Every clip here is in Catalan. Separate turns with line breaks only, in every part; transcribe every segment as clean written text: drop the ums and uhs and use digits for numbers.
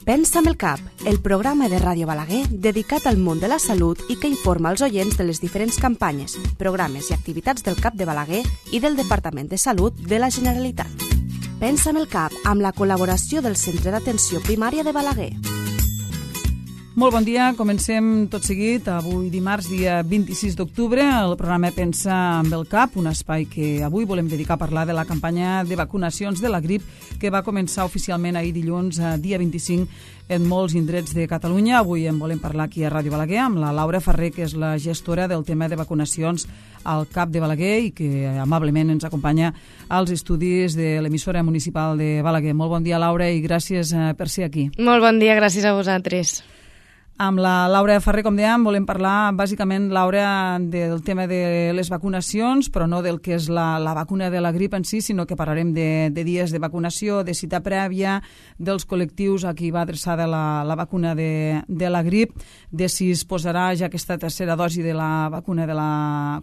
Pensa amb el cap, el programa de Ràdio Balaguer dedicat al món de la salut i que informa els oients de les diferents campanyes, programes i activitats del CAP de Balaguer i del Departament de Salut de la Generalitat. Pensa amb el cap, amb la col·laboració del Centre d'Atenció Primària de Balaguer.
Molt bon dia, comencem tot seguit. Avui dimarts, dia 26 d'octubre, el programa Pensa amb el cap, un espai que avui volem dedicar a parlar de la campanya de vacunacions de la grip que va començar oficialment ahir dilluns, dia 25, en molts indrets de Catalunya. Avui en volem parlar aquí a Ràdio Balaguer amb la Laura Ferrer, que és la gestora del tema de vacunacions al CAP de Balaguer i que amablement ens acompanya als estudis de l'emissora municipal de Balaguer. Molt bon dia, Laura, i gràcies per ser aquí.
Molt bon dia, gràcies a vosaltres.
Amb la Laura Ferrer, com dèiem, volem parlar bàsicament, Laura, del tema de les vacunacions, però no del que és la vacuna de la grip en si, sinó que parlarem de dies de vacunació, de cita prèvia, dels col·lectius a qui va adreçada la vacuna de la grip, de si es posarà ja aquesta tercera dosi de la vacuna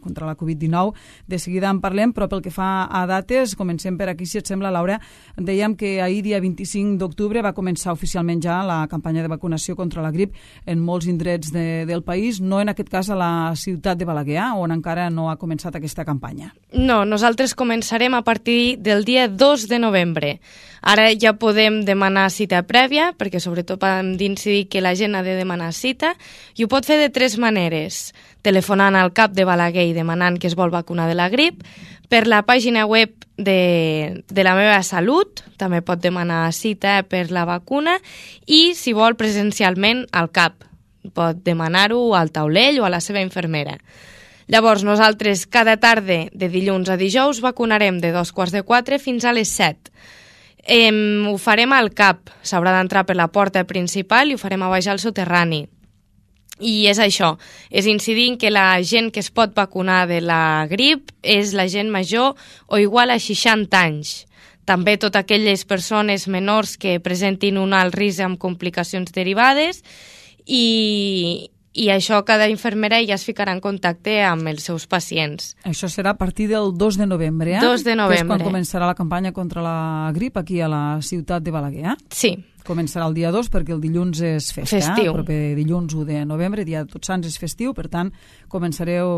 contra la Covid-19. De seguida en parlem, però pel que fa a dates, comencem per aquí, si et sembla, Laura. Dèiem que ahir, dia 25 d'octubre, va començar oficialment ja la campanya de vacunació contra la grip en molts indrets del país, no en aquest cas a la ciutat de Balaguer, on encara no ha començat aquesta campanya.
No, nosaltres començarem a partir del dia 2 de novembre. Ara ja podem demanar cita prèvia, perquè sobretot hem d'incidir que la gent ha de demanar cita, i ho pot fer de tres maneres: telefonant al CAP de Balaguer i demanant que es vol vacunar de la grip, per la pàgina web de la meva salut, també pot demanar cita per la vacuna, i si vol presencialment al CAP, pot demanar-ho al taulell o a la seva infermera. Llavors, nosaltres cada tarda de dilluns a dijous vacunarem de 2:45 fins a les 7. Ho farem al CAP, s'haurà d'entrar per la porta principal i ho farem a baix al soterrani. I és això, és incidir en que la gent que es pot vacunar de la grip és la gent major o igual a 60 anys. També totes aquelles persones menors que presentin un alt risc amb complicacions derivades i això cada infermera ja es ficarà en contacte amb els seus pacients.
Això serà a partir del 2 de novembre,
2 de novembre.
Que és quan començarà la campanya contra la grip aquí a la ciutat de Balaguer,
Sí.
Començarà el dia 2 perquè el dilluns és festa.
Festiu.
El proper dilluns 1 de novembre, dia de Tots Sants, és festiu, per tant, començareu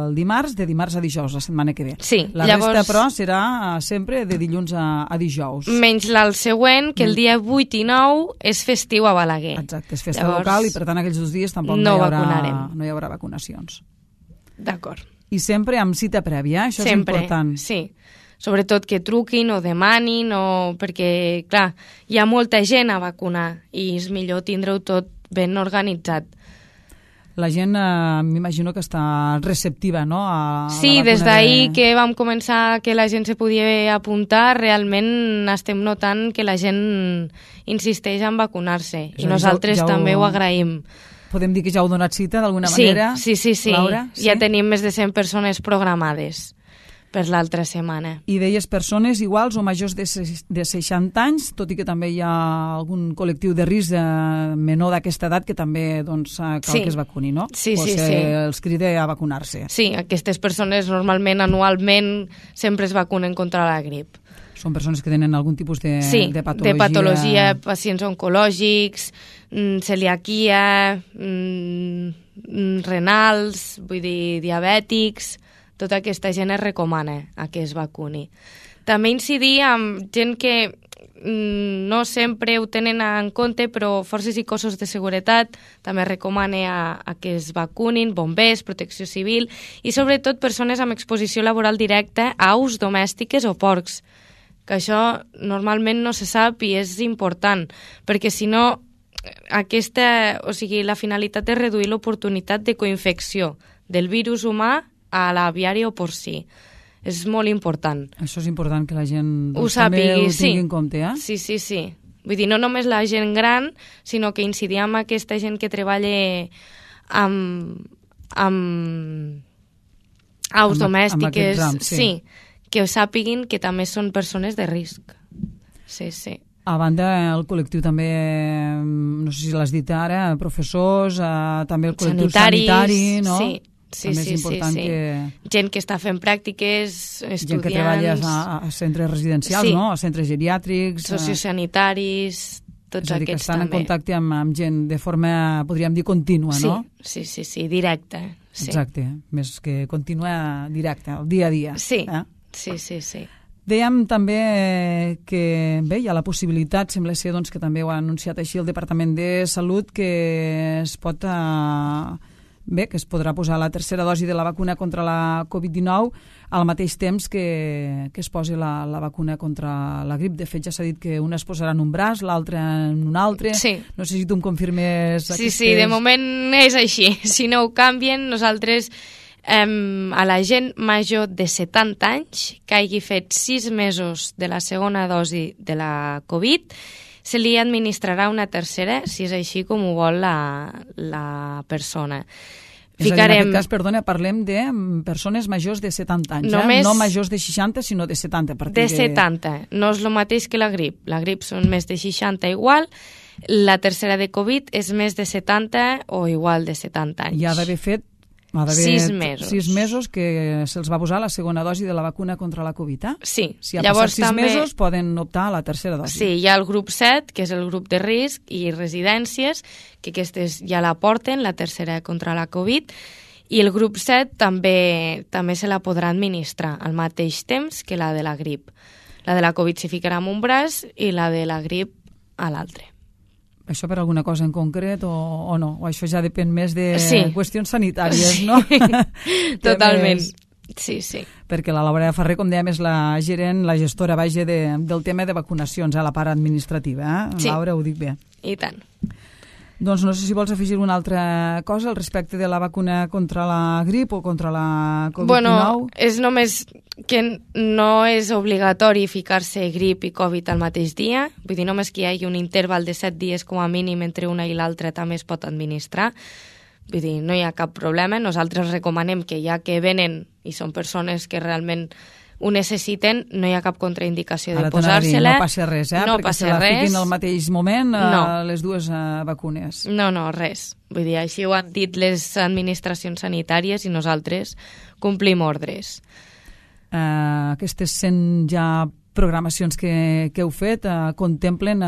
el dimarts, de dimarts a dijous, la setmana que ve.
Sí,
la resta, però, serà sempre de dilluns a dijous.
Menys el següent, que el dia 8 i 9 és festiu a Balaguer.
Exacte, és festa local i, per tant, aquells 2 dies tampoc no hi haurà vacunacions.
D'acord.
I sempre amb cita prèvia, això
sempre,
és important.
Sí. Sobretot que truquin o demanin, perquè, clar, hi ha molta gent a vacunar i és millor tindre-ho tot ben organitzat.
La gent, m'imagino que està receptiva, no?
Sí, des d'ahir que vam començar que la gent se podia apuntar, realment estem notant que la gent insisteix en vacunar-se i nosaltres també ho agraïm.
Podem dir que ja heu donat cita d'alguna manera?
Sí,
Laura? Sí?
Ja tenim més de 100 persones programades per l'altra setmana.
I deies persones iguals o majors de 60 anys, tot i que també hi ha algun col·lectiu de risc menor d'aquesta edat que també cal que es vacuni, no?
Sí.
Els crida a vacunar-se.
Sí, aquestes persones normalment, anualment, sempre es vacunen contra la grip.
Són persones que tenen algun tipus de patologia.
De patologia, pacients oncològics, celiaquia, renals, vull dir, diabètics. Tota aquesta gent es recomana a que es vacuni. També incidir amb gent que no sempre ho tenen en compte, però forces i cossos de seguretat també recomana a que es vacunin, bombers, protecció civil i sobretot persones amb exposició laboral directa a aus domèstiques o porcs, que això normalment no se sap i és important, perquè si no la finalitat és reduir l'oportunitat de coinfecció del virus humà a l'aviari o porcí. És molt important.
Això és important que la gent
ho sàpigui,
ho tingui en compte, eh?
Sí. Vull dir, no només la gent gran, sinó que incidir amb aquesta gent que treballa amb aus domèstiques. Sí, que ho sàpiguin que també són persones de risc. Sí.
A banda, el col·lectiu també, no sé si l'has dit ara, professors, també el col·lectiu sanitari, no?
Sí. També és important que... Gent que està fent pràctiques, estudiants...
Gent que treballa a centres residencials, no? A centres geriàtrics...
Sociosanitaris... tots
és a dir, que
aquests
estan
també.
en contacte amb gent de forma, podríem dir, contínua, no?
Sí, directa. Sí.
Exacte, més que contínua, directa, el dia a dia.
Sí, sí.
Dèiem també que bé, hi ha la possibilitat, sembla ser doncs, que també ho ha anunciat així el Departament de Salut, que es pot que es podrà posar la tercera dosi de la vacuna contra la Covid-19 al mateix temps que es posi la vacuna contra la grip. De fet, ja s'ha dit que una es posarà en un braç, l'altra en un altre.
Sí.
No sé si tu em confirmes aquestes...
Sí, de moment és així. Si no ho canvien, nosaltres... a la gent major de 70 anys que hagi fet 6 mesos de la segona dosi de la Covid, se li administrarà una tercera, si és així com ho vol la persona.
És a dir, en aquest cas, perdona, parlem de persones majors de 70 anys,
només...
no majors de 60, sinó de 70.
De 70, no és el mateix que la grip. La grip són més de 60 igual, la tercera de Covid és més de 70 o igual de 70 anys.
I ha d'haver fet
6 mesos.
6 mesos que se'ls va posar la segona dosi de la vacuna contra la Covid, eh?
Sí.
Si ha passat 6 mesos, poden optar a la tercera dosi.
Sí, hi ha el grup 7, que és el grup de risc, i residències, que aquestes ja la porten, la tercera contra la Covid, i el grup 7 també se la podrà administrar al mateix temps que la de la grip. La de la Covid s'hi ficarà en un braç i la de la grip a l'altre.
Això per alguna cosa en concret o no? O això ja depèn més de qüestions sanitàries,
sí.
no?
Totalment. Sí.
Perquè la Laura Ferrer, com dèiem, és la gerent, la gestora, vaja, del tema de vacunacions, a la part administrativa. Sí. Laura, ho dic bé.
I tant.
Doncs no sé si vols afegir una altra cosa al respecte de la vacuna contra la grip o contra la Covid-19.
Bueno, és només que no és obligatori ficar-se grip i Covid al mateix dia. Vull dir, només que hi hagi un interval de 7 dies com a mínim entre una i l'altra també es pot administrar. Vull dir, no hi ha cap problema. Nosaltres recomanem que ja que venen i són persones que realment ho necessiten, no hi ha cap contraindicació de posar-se-la.
No passa res,
no
perquè
passa
se la
res.
fiquin al mateix moment les dues vacunes.
No, res. Vull dir, així ho han dit les administracions sanitàries i nosaltres complim ordres.
Aquestes 100 ja programacions que heu fet contemplen,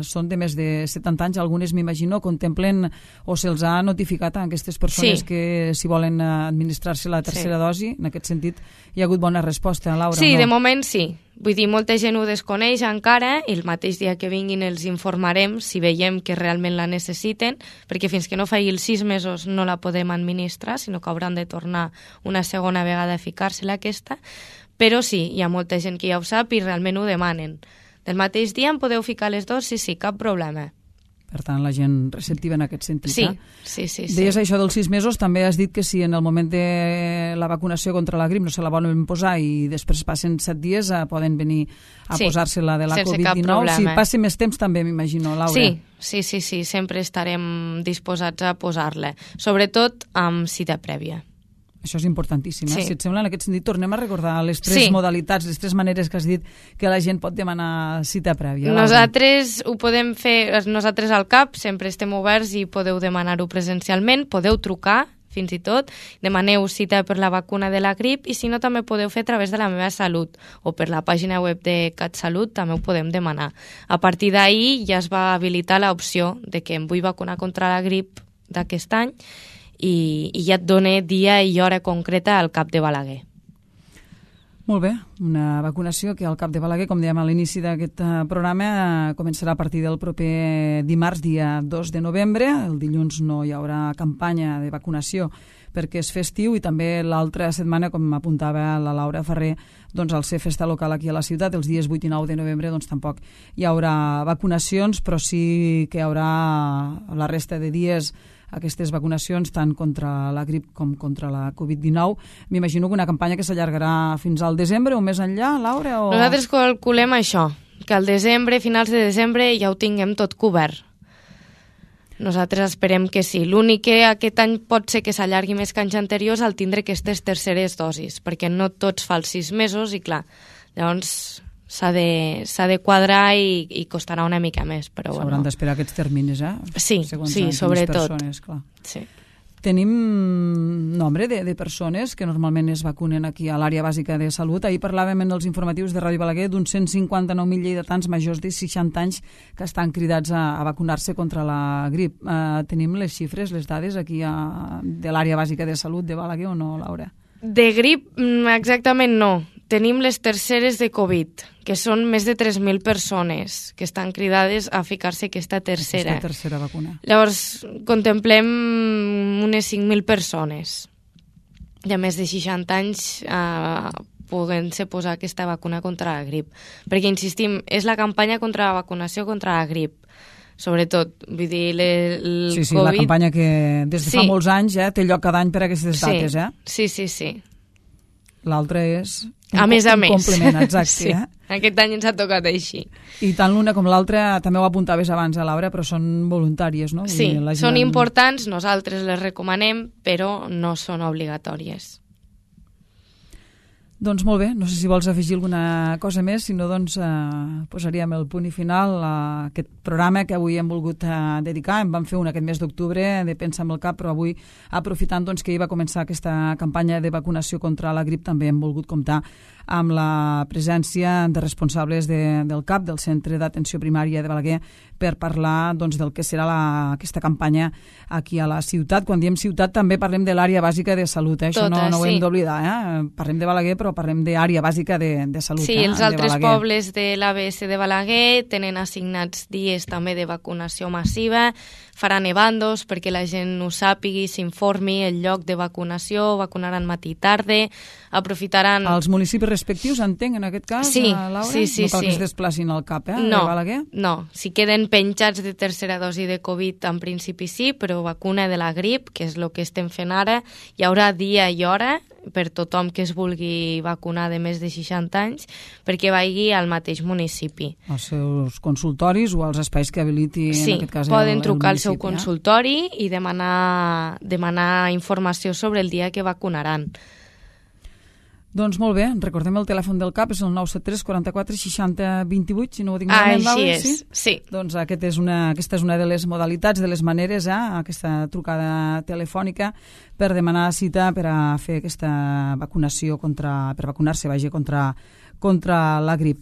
són de més de 70 anys, algunes m'imagino, contemplen o se'ls ha notificat a aquestes persones que si volen administrar-se la tercera dosi. En aquest sentit, hi ha hagut bona resposta, Laura?
Sí, de moment sí. Vull dir, molta gent ho desconeix encara i el mateix dia que vinguin els informarem si veiem que realment la necessiten, perquè fins que no faci els 6 mesos no la podem administrar, sinó que hauran de tornar una segona vegada a ficar-se-la aquesta. Però sí, hi ha molta gent que ja ho sap i realment ho demanen. Del mateix dia em podeu ficar les dosis? Sí, cap problema.
Per tant, la gent receptiva en aquest sentit.
Sí.
Deies això dels 6 mesos, també has dit que si en el moment de la vacunació contra la grip no se la volen posar i després passen 7 dies poden venir a posar-se-la de la Covid-19. Si passi més temps també, m'imagino, Laura.
Sí, sempre estarem disposats a posar-la, sobretot amb cita prèvia.
Això és importantíssim. Si et sembla, en aquest sentit, tornem a recordar les 3 modalitats, les 3 maneres que has dit que la gent pot demanar cita prèvia.
Nosaltres ho podem fer, nosaltres al CAP sempre estem oberts i podeu demanar-ho presencialment, podeu trucar, fins i tot, demaneu cita per la vacuna de la grip i si no també podeu fer a través de la meva salut o per la pàgina web de CatSalut també ho podem demanar. A partir d'ahir ja es va habilitar l'opció de que em vull vacunar contra la grip d'aquest any i ja et dona dia i hora concreta al CAP de Balaguer.
Molt bé, una vacunació que al CAP de Balaguer, com dèiem a l'inici d'aquest programa, començarà a partir del proper dimarts, dia 2 de novembre. El dilluns no hi haurà campanya de vacunació perquè és festiu i també l'altra setmana, com apuntava la Laura Ferrer, doncs al ser festa local aquí a la ciutat, els dies 8 i 9 de novembre doncs tampoc hi haurà vacunacions, però sí que hi haurà la resta de dies aquestes vacunacions tant contra la grip com contra la Covid-19. M'imagino que una campanya que s'allargarà fins al desembre o més enllà, Laura?
Nosaltres calculem això, que al desembre, finals de desembre, ja ho tinguem tot cobert. Nosaltres esperem que sí. L'únic que aquest any pot ser que s'allargui més que anys anteriors al tindre aquestes terceres dosis, perquè no tots fa els 6 mesos i clar, llavors s'ha de quadrar i costarà una mica més.
S'hauran d'esperar aquests terminis,
Sí, sobretot.
Persones, clar.
Sí.
tenim nombre de persones que normalment es vacunen aquí a l'àrea bàsica de salut. Ahir parlàvem en els informatius de Ràdio Balaguer d'uns 159.000 lleidatans majors de 60 anys que estan cridats a vacunar-se contra la grip. Tenim les xifres, les dades aquí de l'àrea bàsica de salut de Balaguer o no, Laura?
De grip, exactament no. Tenim les terceres de Covid, que són més de 3.000 persones que estan cridades a ficar-se aquesta tercera
vacuna.
Llavors, contemplem unes 5.000 persones de més de 60 anys podent-se posar aquesta vacuna contra la grip. Perquè, insistim, és la campanya contra la vacunació contra la grip. Sobretot, vull dir, el
sí,
Covid...
la campanya que des de fa molts anys té lloc cada any per aquestes dates,
Sí.
L'altre és
a més.
Complement, exacte.
Sí. Aquest any ens ha tocat així.
I tant l'una com l'altra, també ho apuntaves abans a Laura, però són voluntàries, no?
Sí, són importants, nosaltres les recomanem, però no són obligatòries.
Doncs molt bé, no sé si vols afegir alguna cosa més, si no doncs posaríem el punt i final a aquest programa que avui hem volgut dedicar. En vam fer un aquest mes d'octubre de Pensa amb el Cap, però avui, aprofitant doncs, que hi va començar aquesta campanya de vacunació contra la grip, també hem volgut comptar amb la presència de responsables del CAP, del Centre d'Atenció Primària de Balaguer, per parlar doncs, del que serà aquesta campanya aquí a la ciutat. Quan diem ciutat també parlem de l'àrea bàsica de salut, això no ho hem d'oblidar. Parlem de Balaguer, però parlem d'àrea bàsica de salut.
Sí, els altres pobles de l'ABS de Balaguer tenen assignats dies també de vacunació massiva, faran ebandos perquè la gent ho sàpigui, s'informi el lloc de vacunació, vacunaran matí i tarda, aprofitaran...
Els municipis respectius, entenc, en aquest cas, Laura?
Sí.
No cal que es desplacin al CAP, de Balaguer?
No, si queden penjats de tercera dosi de Covid, en principi sí, però vacuna de la grip, que és el que estem fent ara, hi haurà dia i hora per tothom que es vulgui vacunar de més de 60 anys, perquè vagi al mateix municipi.
Als seus consultoris o als espais que habiliti, en aquest cas,
poden trucar al seu consultori i demanar informació sobre el dia que vacunaran.
Doncs molt bé, recordem el telèfon del CAP, és el 973 44 60 28, si no ho dic malament,
Laura, sí.
Doncs aquesta és una de les modalitats, de les maneres, aquesta trucada telefònica per demanar cita per a fer aquesta vacunació per vacunar-se, contra la grip.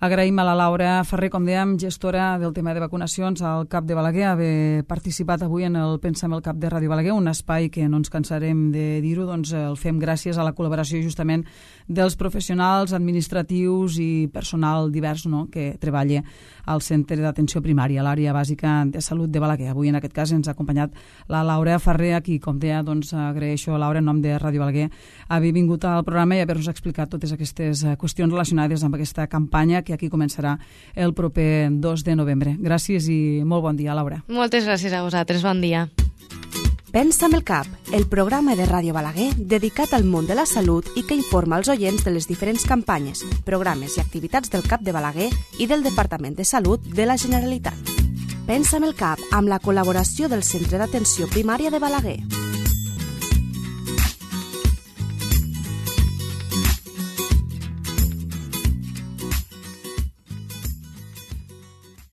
Agraïm a la Laura Ferrer, com dèiem, gestora del tema de vacunacions al CAP de Balaguer, haver participat avui en el Pensa amb el Cap de Ràdio Balaguer, un espai que no ens cansarem de dir-ho, doncs el fem gràcies a la col·laboració justament dels professionals administratius i personal divers que treballa al Centre d'Atenció Primària, a l'àrea bàsica de salut de Balaguer. Avui, en aquest cas, ens ha acompanyat la Laura Ferrer, aquí, com deia, doncs agraeixo a Laura, en nom de Ràdio Balaguer, haver vingut al programa i haver-nos explicat totes aquestes qüestions relacionades amb aquesta campanya que aquí començarà el proper 2 de novembre. Gràcies i molt bon dia, Laura.
Moltes gràcies a vosaltres, bon dia.
Pensa amb el Cap, el programa de Ràdio Balaguer dedicat al món de la salut i que informa els oients de les diferents campanyes, programes i activitats del CAP de Balaguer i del Departament de Salut de la Generalitat. Pensa amb el Cap, amb la col·laboració del Centre d'Atenció Primària de Balaguer.